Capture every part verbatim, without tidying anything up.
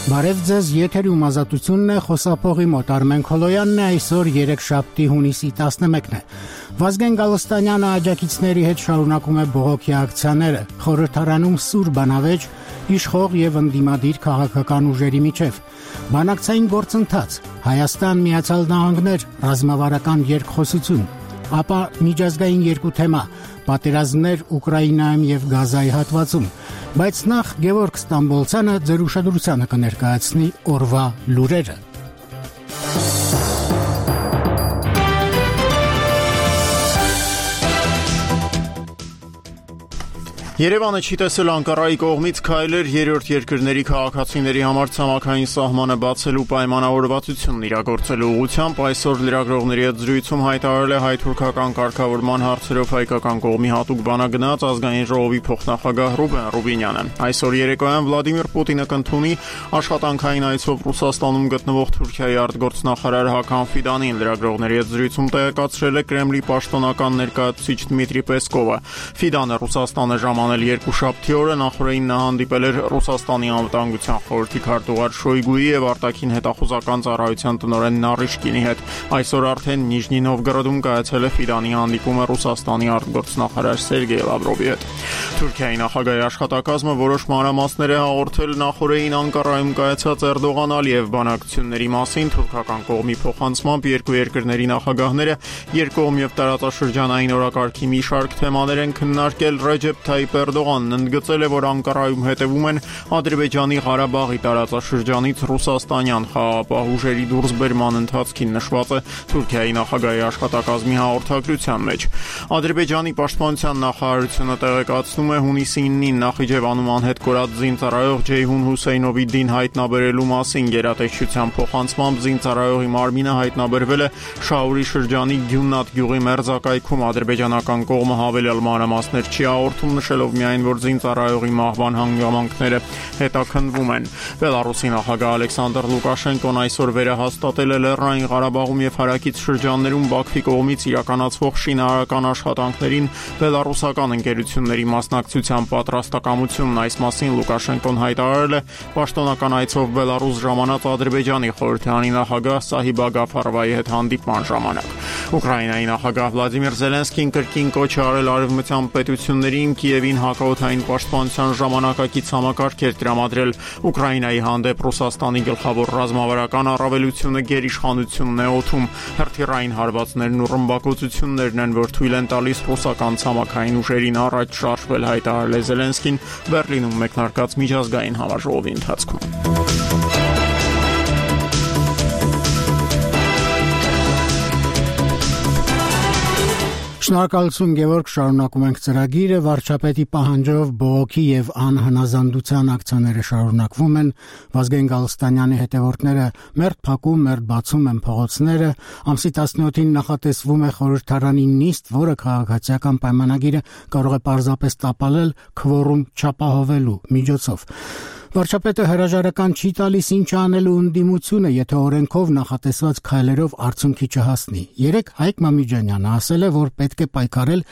Բարև ձեզ, եթերում ազատությունն է, խոսափողի մոտ Արմեն Քոլոյանն է, այսօր երեքշաբթի հունիսի տասնմեկն է։ Վազգեն Գալստանյանը աջակիցների հետ շարունակում է բողոքի ակցիաները, խորհրդարանում սուր բանավեճ, իշխող եւ ընդդիմադիր քաղաքական ուժերի միջև։ Բանակցային գործընթաց, Հայաստան, Միացյալ Նահանգներ, ռազմավարական երկխոսություն, ապա միջազգային երկու թեմա՝ պատերազմներ Ուկրաինայում եւ Գազայի հատվածում։ Բայց նախ Գևորգ Ստամբոլցյանը ձեր ուշադրությանը կներկայացնի օրվա լուրերը։ Երևանը չի տեսել Անկարայի կողմից քայլեր երրորդ երկրների քաղաքացիների համար ցամաքային սահմանը բացելու պայմանավորվածությունն իրագործելու ուղղությամբ այսօր լրագրողների հետ զրույցում հայտարարել է հայ-թուրքական կարգավորման հարցերով հայկական կողմի հատուկ բանագնաց ազգային ժողովի փոխնախագահ Ռուբեն Ռուբինյանը։ Այսօր երեկոյան Վլադիմիր Պուտինը կընդունի աշխատանքային այցով Ռուսաստանում գտնվող Թուրքիայի արտգործնախարար Հական Ֆիդանին։ Լրագրողների հետ զրույցում տեղեկացրել է Կրեմլի պաշտոնական ներկայացուցիչ Դմիտրի Պեսկովը։ Ֆիդանը Ռուսաստանը ժամ երկուշաբթի օրը նախորդին նա հանդիպել էր Ռուսաստանի անվտանգության խորհրդի քարտուղար Շոյգուի եւ արտաքին հետախուզական ծառայության տնօրեն Նարիշկինի հետ։ Այսօր արդեն Նիժնի Նովգորոդում կայացել է Ֆիդանի հանդիպումը Ռուսաստանի արտգործնախարար Սերգեյ Լավրովի հետ։ Թուրքիայի նախագահի աշխատակազմը որոշ մանրամասներ է հաղորդել նախորդին Անկարայում կայացած Էրդողան-Ալիև բանակցությունների մասին։ Թուրքական կողմի փոխանցմամբ երկու երկրների նախագահները երկկողմ եւ տարածաշրջանային օրակարգի մի շարք թեմաներ են քննարկել։ Ռեջեփ Թայիպ Էրդողանն ընդգծել է, որ Անկարայում հետևում են Ադրբեջանի Ղարաբաղի տարածաշրջանից ռուսաստանյան խաղաղապահ ուժերի դուրսբերման ընթացքին նշված է Թուրքիայի նախագահի աշխատակազմի հաղորդագրության մեջ։ Ադրբեջանի պաշտպանության նախարարությունը տեղեկացնում է հունիսի իննին Նախիջևանում անհետ կորած զինծառայող Ջեյհուն Հուսեյնովի դին հայտնաբերելու մասին գերատեսչության փոխանցմամբ զինծառայողի մարմինը հայտնաբերվել է Շաուրի շրջանի Գյուննատ գյուղի մերձակայքում։ Ադրբեջանական կողմը հավելյալ մանրամասներ չի հաղորդում, նշելով միայն, որ զինծառայողի մահվան հանգամանքները հետաքննվում են։ Բելարուսի նախագահ Ալեքսանդր Լուկաշենկոն այսօր վերահաստատել է Լեռնային Ղարաբաղում եւ հարակից շրջաններում Բաքվի կողմից իրականացվող շինարարական աշխատանքներին բելարուսական ընկերությունների մասնակցության պատրաստակամությունն։ Այս մասին Լուկաշենկոն հայտարարել է պաշտոնական այցով Բելարուս ժամանած Ադրբեջանի խորհրդարանի նախագահ Սահիբա Գաֆարովայի հետ հանդիպման ժամանակ։ Ուկրաինայի նախագահ Վլադիմիր Զելենսկին կրկին կոչ է արել արևմտյան պետություններին Կիևին հակաօդային պաշտպանության ժամանակակից համակարգեր տրամադրել։ Ուկրաինայի հանդեպ Ռուսաստանի գլխավոր ռազմավարական առավելությունը գերիշխանությունն է օդում։ Հրթիռային հարվածներն ու ռմբակոծություններն են, որ թույլ են տալիս ռուսական ցամաքային ուժերին առաջ շարժվել, հայտարարել է Զելենսկին Բերլինում մեկնարկած միջազգային համաժողովի ընթացքում։ Շնորհակալություն Գևորգ, շարունակում ենք ծրագիրը։ Վարչապետի պահանջով բողոքի եւ անհնազանդության ակցիաները շարունակվում են։ Վազգեն Գալստանյանի հետևորդները մերթ փակում, մերթ բացում են փողոցները։ Ամսի տասնյոթին նախատեսվում է խորհրդարանի նիստ, որը քաղաքացիական պայմանագիրը կարող է պարզապես տապալել քվորում չապահովելու միջոցով։ Վարչապետը հրաժարական չի տալիս ինչ անելու ընդդիմությունը, եթե օրենքով նախատեսված քայլերով արդյունքի չհասնի։ Երեկ Հայկ Մամիջանյանը ասել է, որ պետք է պայքարել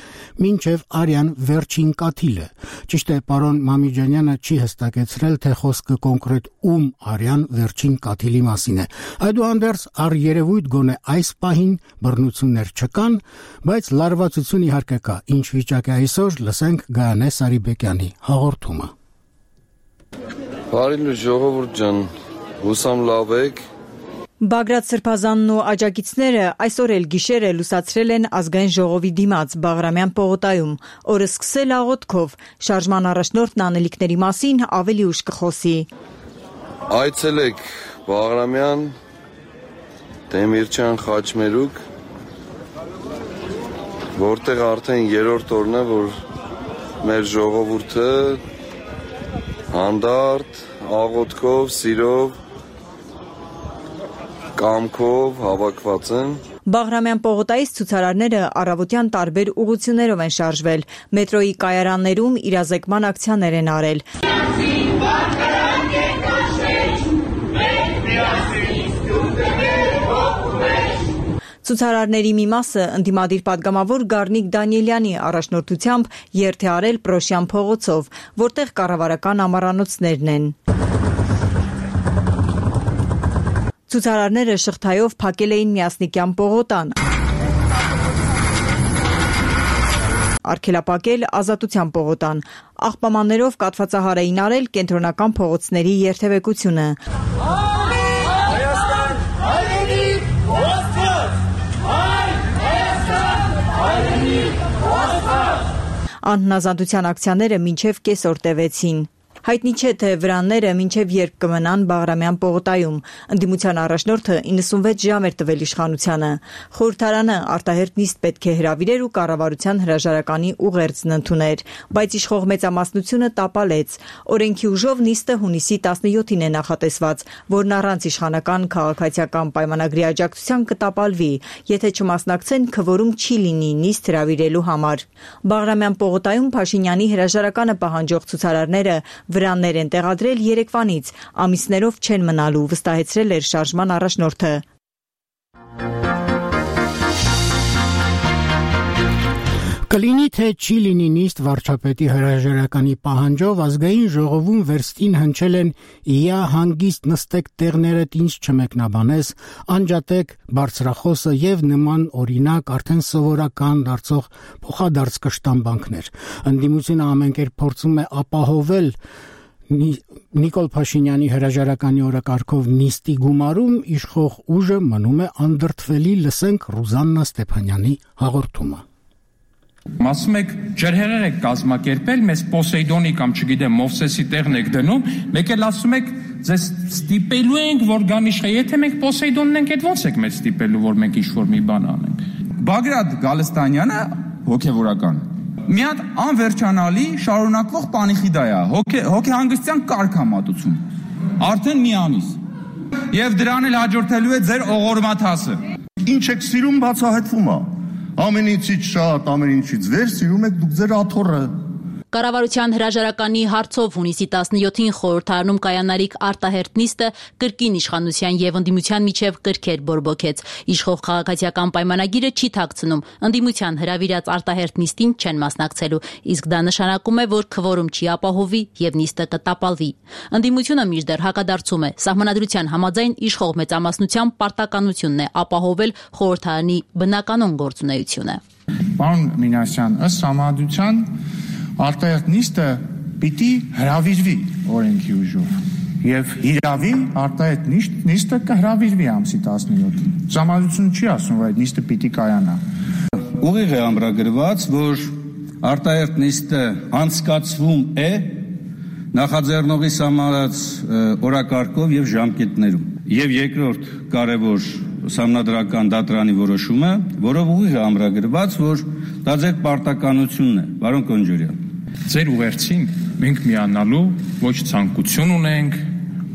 մինչև արյան վերջին կաթիլը։ Ճիշտ է, պարոն Մամիջանյանը չի հստակեցրել, թե խոսքը կոնկրետ ում արյան վերջին կաթիլի մասին է։ Այդուհանդերձ առերևույթ գոնե այս պահին բռնություններ չկան, բայց լարվածություն իհարկե կա։ Ինչ վիճակ է այսօր, լսենք Գայանե Սարիբեկյանի հաղորդումը։ Բարի ժողովուրդ ջան, հուսամ լավ եք։ Բագրատ Սրբազանն ու աջակիցները այսօր էլ գիշերը լուսացրել են ազգային ժողովի դիմաց Բաղրամյան պողոտայում։ Օրը սկսել աղոթքով, շարժման առաջնորդն անելիքների մասին ավելի ուշ կխոսի։ Այցելեք Բաղրամյան, Դեմիրճան Խաչմերուկ, որտեղ արդեն երրորդ օրն է, որ մեր ժողովուրդը հանդարտ, աղոթքով, սիրով, կամքով հավաքված են։ Բաղրամյան պողոտայից ցուցարարները առավոտյան տարբեր ուղղություններով են շարժվել։ Մետրոյի կայարաններում իրազեկման ակցիաներ են արել։ Ցուցարարների մի մասը ընդդիմադիր պատգամավոր Գառնիկ Դանիելյանի առաջնորդությամբ երթ է արել Պրոշյան փողոցով, որտեղ կառավարական ամառանոցներն են։ Ցուցարարները շղթայով փակել էին Միասնիկյան պողոտան, արգելապակել Ազատության պողոտան, աղբամաններով կաթվածահար էին արել կենտրոնական փողոցների երթևեկությունը։ Անհնազանդության ակցիաները մինչև կեսօր տևեցին։ Հայտնի չէ, թե վրանները մինչև երբ կմնան Բաղրամյան պողոտայում։ Ընդդիմության առաջնորդը իննսունվեց ժամ էր տվել իշխանությանը։ Խորհրդարանը արտահերթ նիստ պետք է հրավիրեր ու կառավարության հրաժարականի ուղերձն ընդուներ, բայց իշխող մեծամասնությունը տապալեց։ Օրենքի ուժով նիստը հունիսի տասնյոթին է նախատեսված, որն առանց իշխանական քաղաքացիական պայմանագրի աջակցության կտապալվի, եթե չմասնակցեն, քվորում չի լինի նիստ հրավիրելու համար։ Բաղրամյան պողոտայում Փաշինյանի հրաժարականը պահանջող ցուցարարները վրաններ են տեղադրել երեկվանից, ամիսներով չեն մնալու, վստահեցրել էր շարժման առաջնորդը։ Կլինի թե չի լինի նիստ վարչապետի հրաժարականի պահանջով ազգային ժողովում վերստին հնչել են «Իա հանգիստ նստեք տեղներդ ինձ չմեկնաբանես», անջատեք բարձրախոսը եւ նման օրինակ արդեն սովորական դարձող փոխադարձ կշտամբանքներ։ Ընդդիմությունը ամենքեր փորձում է ապահովել Նիկոլ Փաշինյանի հրաժարականի օրակարգով նիստի գումարում, իշխող ուժը մնում է անդրդվելի, լսենք Ռուզաննա Ստեփանյանի հաղորդումը։ Ասում եք ջրհեղեղ եք կազմակերպել, մեզ Պոսեյդոնի կամ չգիտեմ Մովսեսի տեղն եք դնում, մեկ էլ ասում եք ձեզ ստիպելու ենք, որ գան իշխե, եթե մենք Պոսեյդոնն ենք, այդ ո՞նց եք մեզ ստիպելու, որ մենք ինչ-որ մի բան անենք։ Բագրատ Գալստանյանը հոգևորական մի հատ անվերջանալի շարունակվող պանիխիդա է, հոգեհանգստյան կարգամատություն, արդեն մի ամիս, եւ դրան էլ հաջորդելու է ձեր օղորմաթասը։ Ինչ եք սիրում բացահայտվում է։ Ամեն ինչից շատ, ամեն ինչից վեր սիրում եք դուք ձեր աթոռը։ Կառավարության հրաժարականի հարցով հունիսի տասնյոթին խորհրդարանում կայանալիք արտահերթ նիստը կրկին իշխանության եւ ընդդիմության միջև կրքեր բորբոքեց։ Իշխող քաղաքացիական պայմանագիրը չի թաքցնում, ընդդիմության հրավիրած արտահերթ նիստին չեն մասնակցելու, իսկ դա նշանակում է, որ քվորում չի ապահովի եւ նիստը կտապալվի։ Ընդդիմությունը մինչդեռ հակադարձում է, սահմանադրության համաձայն իշխող մեծամասնության պարտականությունն է ապահովել խորհրդարանի բնականոն գործունեությունը։ Պարոն Մինասյան, ըստ սահմանադրության արտահերթ նիստը պիտի հրավիրվի օրենքի ուժով եւ հիրավի արտահերթ նիստը կհրավիրվի ամսի տասնյոթին։ Սահմանադրությունը չի ասում, որ այդ նիստը պիտի կայանա։ Ուղիղ է ամրագրված, որ արտահերթ նիստը անցկացվում է նախաձեռնողի սահմանած օրակարգով եւ ժամկետներում։ Եվ երկրորդ կարևոր սահմանադրական դատարանի որոշումը, որով ուղիղ է ամրագրված, որ դա ձեր պարտականությունն է, պարոն Կոնջորյան։ Ձեր ուղերձին մենք միանալու ոչ ցանկություն ունենք,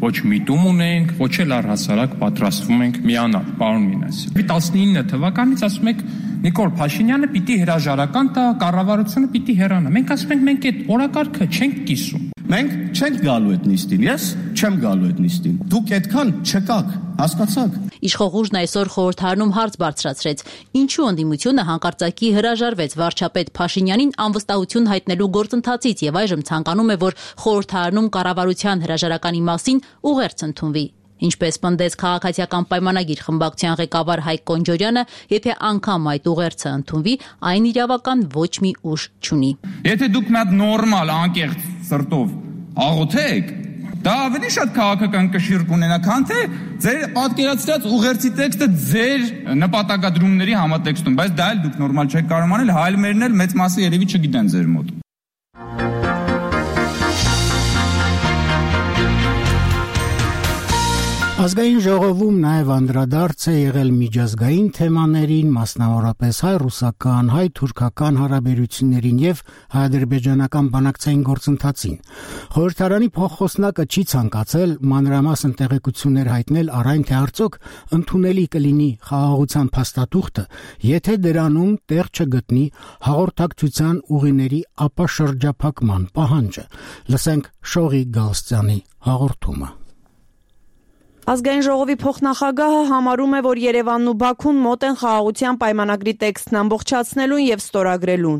ոչ միտում ունենք, ոչ էլ առհասարակ պատրաստվում ենք միանալ, պարոն Մինասյան։ տասնինը թվականից ասում եք Նիկոլ Փաշինյանը պիտի հրաժարական տա, կառավարությունը պիտի հեռանա։ Մենք ասում ենք մենք այդ օրակարգը չենք կիսում։ Մենք չենք գալու այդ նիստին, ես չեմ գալու այդ նիստին։ Դուք այդքան չկաք, հասկացաք։ Իշխող ուժն այսօր խորհրդարանում հարց բարձրացրեց. ինչու ընդդիմությունը հանկարծակի հրաժարվեց վարչապետ Փաշինյանին անվստահություն հայտնելու գործընթացից եւ այժմ ցանկանում է, որ խորհրդարանում կառավարության հրաժարականի մասին ուղերձ ընդունվի։ Ինչպես պնդեց քաղաքացիական պայմանագիր խմբակցության ղեկավար Հայկ Կոնջորյանը, եթե անգամ այդ ուղերձը ընդունվի, այն իրավական ոչ մի ուժ չունի։ Եթե դուք մի հատ նորմալ անկեղծ սրտով աղոթեք, դա ավելի շատ քաղաքական կշիռ կունենա, քան թե ձեր պատկերացրած ուղերձի տեքստը ձեր նպատակադրումների համատեքստում, բայց դա էլ դուք նորմալ չեք կարող անել, հայլ մերն էլ մեծ մասը երևի չգիտեն ձեր մոտ։ Ազգային ժողովում նաև անդրադարձ է եղել միջազգային թեմաներին, մասնավորապես հայ-ռուսական, հայ-թուրքական հարաբերություններին եւ հայ-ադրբեջանական բանակցային գործընթացին։ Խորհրդարանի փոխխոսնակը չի ցանկացել մանրամասն տեղեկություններ հայտնել առ այն, թե արդյոք ընդունելի կլինի խաղաղության փաստաթուղթը, եթե դրանում տեղ չգտնի հաղորդակցության ուղիների ապաշրջափակման պահանջը։ Լսենք Շողի Գալստյանի հաղորդումը։ Ազգային ժողովի փոխնախագահը համարում է, որ Երևանն ու Բաքուն մոտ են խաղաղության պայմանագրի տեքստն ամբողջացնելուն եւ ստորագրելուն։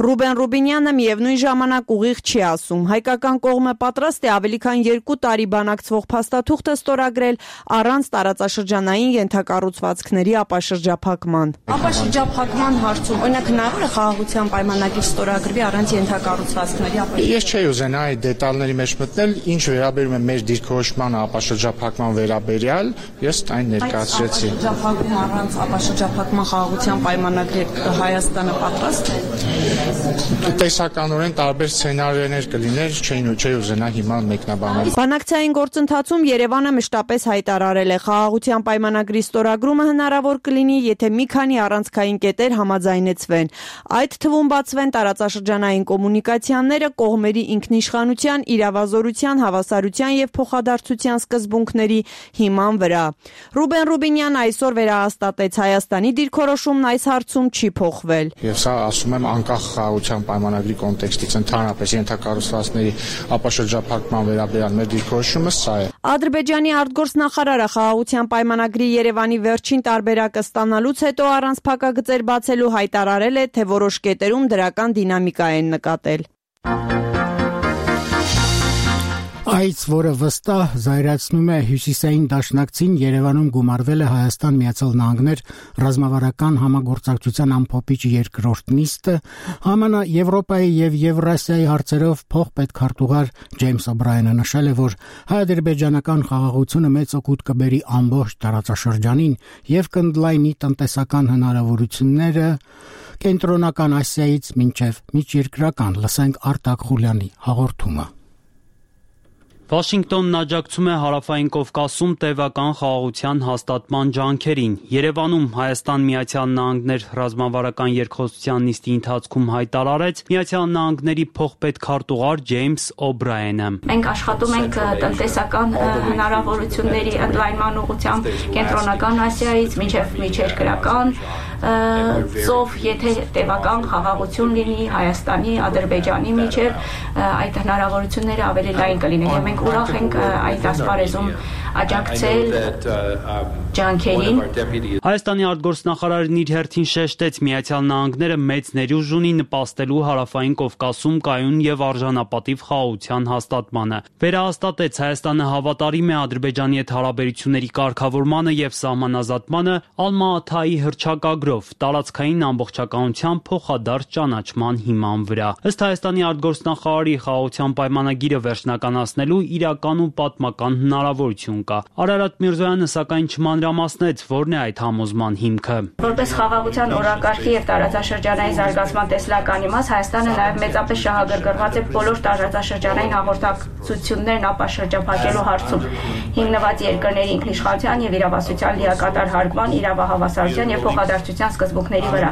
Ռուբեն Ռուբինյանը միևնույն ժամանակ ուղիղ չի ասում։ Հայկական կողմը պատրաստ է ավելի քան երկու տարի բանակցվող փաստաթուղթը ստորագրել առանց տարածաշրջանային ենթակառուցվածքների ապաշրջափակման։ Ապաշրջափակման հարցում օրինակ հնարավոր է խաղաղության պայմանագիր ստորագրվի առանց ենթակառուցվածքների ապաշրջափակման։ Ես չէի ուզենա այդ դետալների մեջ մտնել, ինչ վերաբերում է մեր դիրքորոշմանը ապաշրջափակման վերաբերյալ, ես այն ներկայացրեցի։ Ապաշրջափակում առանց ապաշրջափակման խաղաղության պայմանագրի Հայաստանը պատրաստ է։ Տեսականորեն տարբեր սցենարիներ կլիներ, չէին ու չէի ուզենա հիմա մեկնաբանել։ Բանակցային գործընթացում Երևանը մշտապես հայտարարել է խաղաղության պայմանագրի ստորագրումը հնարավոր կլինի, եթե մի քանի առանցքային կետեր համաձայնեցվեն։ Այդ թվում բացվեն տարածաշրջանային կոմունիկացիաները կողմերի ինքնիշխանության, իրավազորության, հավասարության եւ փոխադարձության սկզբունքների հիման վրա։ Ռուբեն Ռուբինյանը այսօր վերահաստատեց Հայաստանի դիրքորոշումն այս հարցում չի փոխվել։ Եվ սա ասում եմ անկախ խաղաղության պայմանագրի կոնտեքստից ընդհանրապես ենթակառուցվածքների ապաշրջափակման վերաբերյալ մեր դիրքորոշումը սա է։ Ադրբեջանի արտգործնախարարը խաղաղության պայմանագրի Երևանի վերջին տարբերակը ստանալուց հետո առանց փակագծեր բացելու հայտարարել է, թե որոշ կետերում դրական դինամիկա են նկատել։ Այս, որը վստահ զայրացնում է հյուսիսային դաշնակցին, Երևանում գումարվել է Հայաստան Միացյալ Նահանգներ ռազմավարական համագործակցության ամփոփիչ երկրորդ նիստը, ԱՄՆ, Եվրոպայի եւ Եվրասիայի հարցերով փոխպետքարտուղար Ջեյմս Օբրայենը նշել է, որ հայ-ադրբեջանական խաղաղությունը մեծ օգուտ կբերի ամբողջ տարածաշրջանին եւ կընդլայնի տնտեսական հնարավորությունները Կենտրոնական Ասիայից մինչեւ միջերկրական։ Լսենք Արտակ Խուլյանի հաղորդումը։ Վաշինգտոնն աջակցում է Հարավային Կովկասում տևական խաղաղության հաստատման ջանքերին։ Երևանում Հայաստան Միացյալ Նահանգներ ռազմավարական երկխոսության նիստի ընթացքում հայտարարեց Միացյալ Նահանգների փոխպետքարտուղար Ջեյմս Օբրայենը։ Մենք աշխատում ենք տնտեսական հնարավորությունների ընդլայնման ուղղությամբ Կենտրոնական Ասիայից մինչև միջերկրական ծով, եթե տևական խաղաղություն լինի Հայաստանի, Ադրբեջանի միջև, այդ հնարավորությունները ավելի լայն կլինեն եւ մենք ուրախ ենք այդ ասպարեզում աջակցել ջանքերին։ Հայաստանի արտգործնախարարն իր հերթին շեշտեց Միացյալ Նահանգները մեծ ներուժ ունի նպաստելու Հարավային Կովկասում կայուն եւ արժանապատիվ խաղաղության հաստատմանը։ Վերահաստատեց Հայաստանը հավատարիմ է Ադրբեջանի հետ հարաբերությունների կարգավորմանը եւ սահմանազատմանը Ալմա-Աթայի հռչակագրով տարածքային ամբողջականության փոխադարձ ճանաչման հիման վրա։ Ըստ Հայաստանի արտգործնախարարի խաղաղության պայմանագիրը վերջնականացնելու իրական ու պատմական հնարավորություն կա։ Արարատ Միրզոյանը սակայն չմանրամասնեց, որն է այդ համոզման հիմքը։ Որպես խաղաղության օրակարգի եւ տարածաշրջանային զարգացման տեսլական իմաց Հայաստանը նաեւ մեծապես շահագրգռված է բոլոր տարածաշրջանային հաղորդակցություններն ապաշրջափակելու հարցում, հիմնված երկրների ինքնիշխանության եւ իրավասության լիակատար հարգման, իրավահավասարության եւ փոխադարձության սկզբունքների վրա։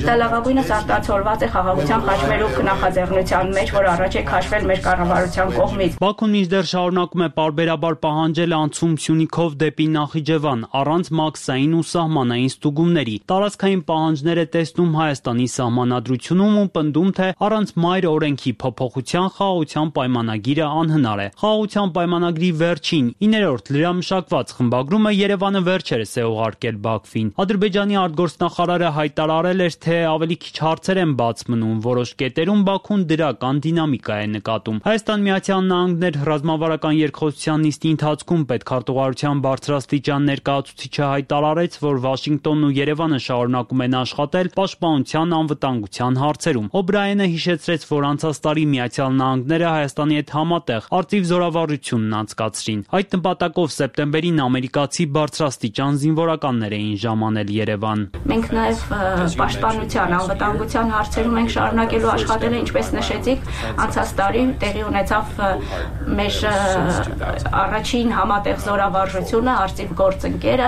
Դա լավագույնս արտացոլված է խաղաղության խաչմերուկ նախաձեռնության մեջ, որ առաջ է քաշվել մեր կառավարության կողմից։ Բաքուն մինչդեռ շարունակում է պարբերաբար պահանջել անցում Սյունիքով դեպի Նախիջևան առանց մաքսային ու սահմանային ստուգումների։ Տարածքային պահանջներ է տեսնում Հայաստանի սահմանադրությունում ու պնդում, թե առանց մայր օրենքի փոփոխության խաղաղության պայմանագիրը անհնար է։ Խաղաղության պայմանագրի վերջին իններորդ լրամշակված խմբագրումը Երևանը վերջերս է ուղարկել Բաքվին։ Ադրբեջանի արտգործնախարարը հայտարարել էր, թե ավելի քիչ հարցեր են բաց մնում, որոշ կետերում Բաքուն դրական դինամիկա է նկատում։ Հայաստան Միացյալ Նահանգներ ռազմավարական երկխոսության նիստի ընթացքում պետքարտուղարության բարձրաստիճան ներկայացուցիչը հայտարարեց, որ Վաշինգտոնն ու Երևանը շարունակում են աշխատել պաշտպանության անվտանգության հարցերում։ Օբրայենը հիշեցրեց, որ անցած տարի Միացյալ Նահանգները Հայաստանի հետ համատեղ արտիվ զորավարությունն անցկացրին։ Այդ նպատակով սեպտեմբերին ամերիկացի բարձրաստիճան զինվորականներ էին ժամանել Երևան։ Մենք նաև պաշտպանության անվտանգության հարցերում ենք շարունակելու աշխատել, ինչպես նշեցիք, անցած տարի տեղի ունեցավ մեր առաջին համատեղ զորավարժությունը, արծիվ գործընկերը,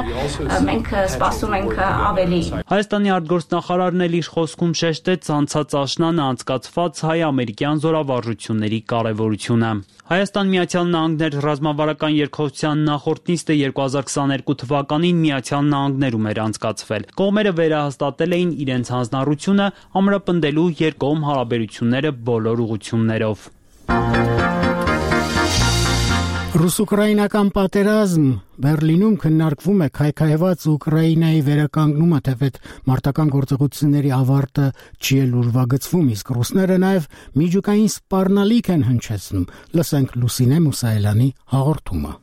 մենք սպասում ենք ավելի։ Հայաստանի արտգործնախարարն էլ իր խոսքում շեշտեց անցած աշնանը անցկացված հայ-ամերիկյան զորավարժությունների կարևորությունը։ Հայաստան Միացյալ Նահանգներ ռազմավարական երկխոսության նախորդ նիստը երկու հազար քսաներկու թվականին Միացյալ Նահանգներում էր անցկացվել։ Կողմերը վերահաստատել էին իրենց հանձնառությունը ամրապնդելու երկկողմ հարաբերությունները բոլոր ուղղություններով։ Ռուս-ուկրաինական պատերազմ Բերլինում քննարկվում է քայքայված Ուկրաինայի վերականգնումը, թեպետ մարտական գործողությունների ավարտը չի էլ ուրվագծվում, իսկ ռուսները նաև միջուկային սպառնալիք են հնչեցնում։ Լսենք Լուսինե Մուսայելյանի հաղորդումը։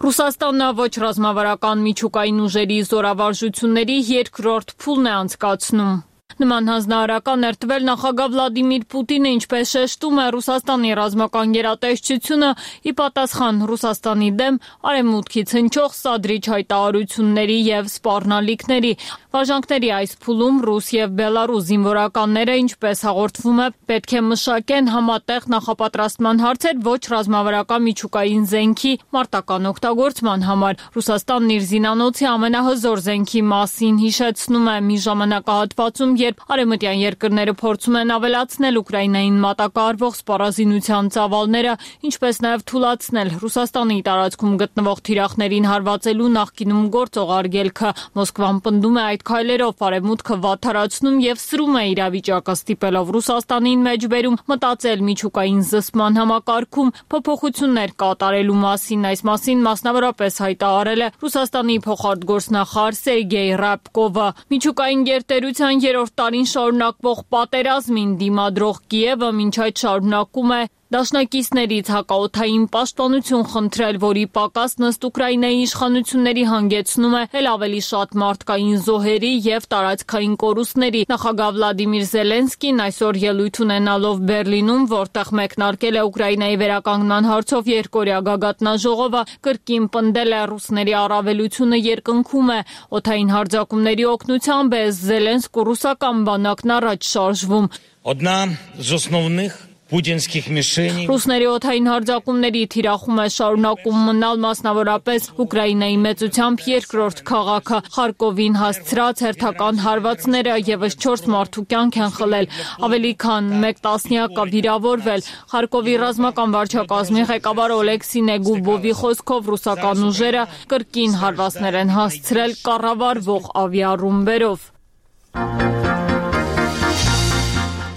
Ռուսաստանն ոչ ռազմավարական միջուկային ուժերի զորավարժությունների երկրորդ փուլն է անցկացնում։ Նման հանձնարարական ներտվել նախագահ Վլադիմիր Պուտինը, ինչպես շեշտում է Ռուսաստանի ռազմական գերատեսչությունը, ի պատասխան Ռուսաստանի դեմ արևմուտքից հնչող սադրիչ հայտարարությունների եւ սպառնալիքների։ Վարժանքների այս փուլում ռուս եւ բելարուս զինվորականները, ինչպես հաղորդվում է, պետք է մշակեն համատեղ նախապատրաստման հարցեր ոչ ռազմավարական միջուկային զենքի մարտական օգտագործման համար։ Ռուսաստանն իր զինանոցի ամենահզոր զենքի մասին հիշեցնում է մի ժամանակահատվածում, երբ արևմտյան երկրները փորձում են ավելացնել Ուկրաինային մատակարարվող սպառազինության ծավալները, ինչպես նաև թուլացնել Ռուսաստանի տարածքում գտնվող թիրախներին հարվածելու նախկինում գործող արգելքը։ Մոսկվան պնդում է այդ քայլերով արևմուտքը վատթարացնում եւ սրում է իրավիճակը, ստիպելով Ռուսաստանին մեջբերում մտածել միջուկային զսպման համակարգում փոփոխություններ կատարելու մասին։ Այս մասին մասնավորապես հայտարարել է Ռուսաստանի փոխարտգործնախարար Սերգեյ Ռябկովը։ Միջուկային գերտերության երրորդ տարին շարունակվող պատերազմին դիմադրող Կիևը մինչ այդ շարունակում է դաշնակիցներից հակաօդային պաշտպանություն խնդրել, որի պակասն ըստ Ուկրաինայի իշխանությունների հանգեցնում է էլ ավելի շատ մարդկային զոհերի եւ տարածքային կորուստների։ Նախագահ Վլադիմիր Զելենսկին այսօր ելույթ ունենալով Բերլինում, որտեղ մեկնարկել է Ուկրաինայի վերականգնման հարցով երկօրյա գագաթնաժողովը, կրկին պնդել է ռուսների առավելությունը երկնքում է։ Օդային հարձակումների օգնությամբ է Զելենսկու ռուսական բանակն առաջ շարժվում։ Одна з основних Պուտինских միշենի Ռուսների օդային հարձակումների թիրախում է շարունակում մնալ մասնավորապես Ուկրաինայի մեծությամբ երկրորդ քաղաքը։ Խարկովին հասցրած հերթական հարվածները եւս չորս մարդու կյանք են խլել, ավելի քան մեկ տասնյակը վիրավորվել։ Խարկովի ռազմական վարչակազմի ղեկավար Օլեքսի Նեգուբովի խոսքով ռուսական ուժերը կրկին հարվածներ են հասցրել կառավարվող ավիառումբերով։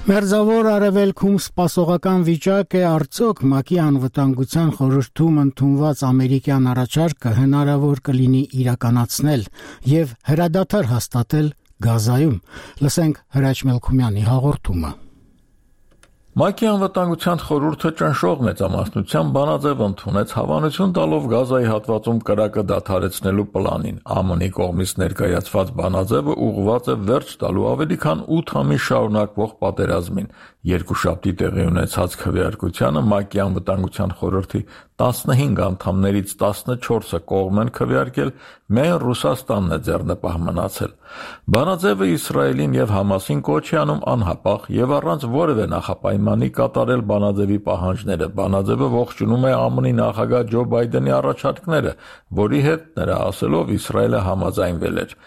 Մերձավոր արևելքում սպասողական վիճակ է, արդյոք ՄԱԿ-ի անվտանգության խորհրդում ընդունված ամերիկյան առաջարկը հնարավոր կլինի իրականացնել եւ հրադադար հաստատել Գազայում։ Լսենք Հրաչ Մելքումյանի հաղորդումը։ ՄԱԿ-ի անվտանգության խորհուրդը ճնշող մեծամասնությամբ բանաձև ընդունեց հավանություն տալով Գազայի հատվածում կրակը դադարեցնելու պլանին։ ԱՄՆ-ի կողմից ներկայացված բանաձևը ուղղված է վերջ տալու ավելի քան ութ ամիս շարունակվող պատերազմին։ Երկուշաբթի տեղի ունեցած քվեարկությանը ՄԱԿ-ի անվտանգության խորհրդի տասնհինգ անդամներից տասնչորսը կողմ են քվեարկել, միայն Ռուսաստանն է ձեռնպահ մնացել։ Բանաձևը Իսրայելին եւ Համասին կոչ է անում անհապաղ եւ առանց որևէ նախապայմանի կատարել բանաձևի պահանջները։ Բանաձևը ողջունում է ԱՄՆ-ի նախագահ Ջո Բայդենի առաջարկները, որի հետ նրա ասելով Իսրայելը համաձայնվել էր։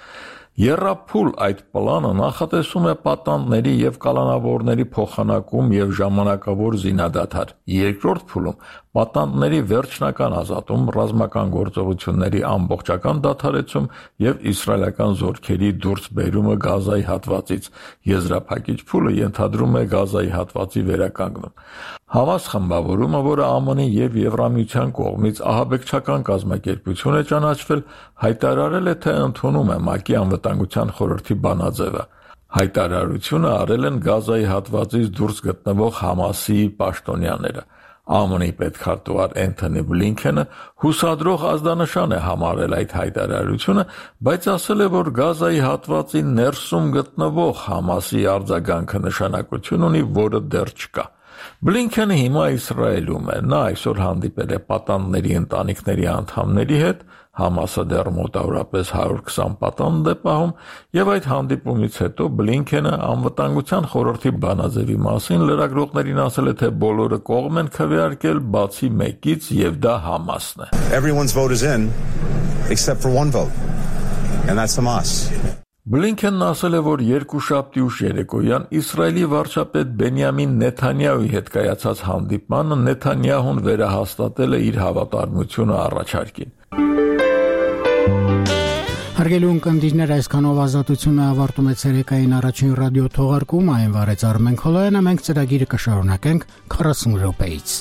Եռափուլ այդ պլանը նախատեսում է պատանդների եւ կալանավորների փոխանակում եւ ժամանակավոր զինադադար։ Երկրորդ փուլում պատանդների վերջնական ազատում, ռազմական գործողությունների ամբողջական դադարեցում եւ իսրայելական զորքերի դուրսբերումը Գազայի հատվածից։ Եզրափակիչ փուլը ենթադրում է Գազայի հատվածի վերականգնում։ Համաս խմբավորումը, որը ԱՄՆ-ի եւ Եվրամիության կողմից ահաբեկչական կազմակերպություն է ճանաչվել, հայտարարել է, թե ընդունում է ՄԱԿ-ի անվտանգության խորհրդի բանաձևը։ Հայտարարությունը արել են Գազայի հատվածից դուրս գտնվող Համասի պաշտոնյաները։ ԱՄՆ-ի պետքարտուղար Էնթոնի Բլինքենը հուսադրող ազդանշան է համարել այդ հայտարարությունը, բայց ասել է, որ Գազայի հատվածի ներսում գտնվող Համասի արձագանքը նշանակություն ունի, որը դեռ չկա։ Բլինքենը հիմա Իսրայելում է։ Նա այսօր հանդիպել է պատանդների ընտանիքների անդամների հետ, Համասը դեռ մոտավորապես հարյուր քսան պատանդ է պահում, եւ այդ հանդիպումից հետո Բլինքենը անվտանգության խորհրդի բանաձևի մասին լրագրողներին ասել է, թե բոլորը կողմ են քվեարկել բացի մեկից, եւ դա Համասն է։ Everyone's vote is in except for one vote. And that's Hamas. Բլինքենն ասել է, որ երկուշաբթի ուշ երեկոյան Իսրայելի վարչապետ Բենյամին Նեթանյահուի հետ կայացած հանդիպմանը Նեթանյահուն վերահաստատել է իր հավատարմությունը առաջարկին։ Հարգելի ունկնդիրներ, այսքանով ազատությունը ավարտում է ցերեկային առաջին ռադիո թողարկումը, այն վարեց Արմեն Քոլոյանը, մենք ծրագիրը կշարունակենք քառասուն րոպեից։